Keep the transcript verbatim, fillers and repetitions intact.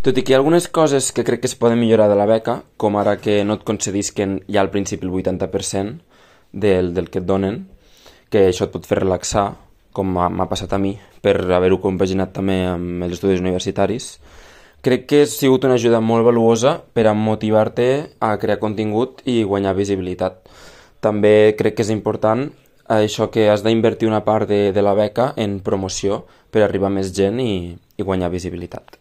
Tot i que hi ha algunes coses que crec que es poden millorar de la beca, com ara que no et concedisquen ja al principi el vuitanta per cent del, del que et donen, que això et pot fer relaxar, com m'ha m'ha passat a mi, per haver-ho compaginat també amb els estudis universitaris. Crec que ha sigut una ajuda molt valuosa per a motivar-te a crear contingut i guanyar visibilitat. També crec que és important això que has d'invertir una part de, de la beca en promoció per arribar a més gent i, i guanyar visibilitat.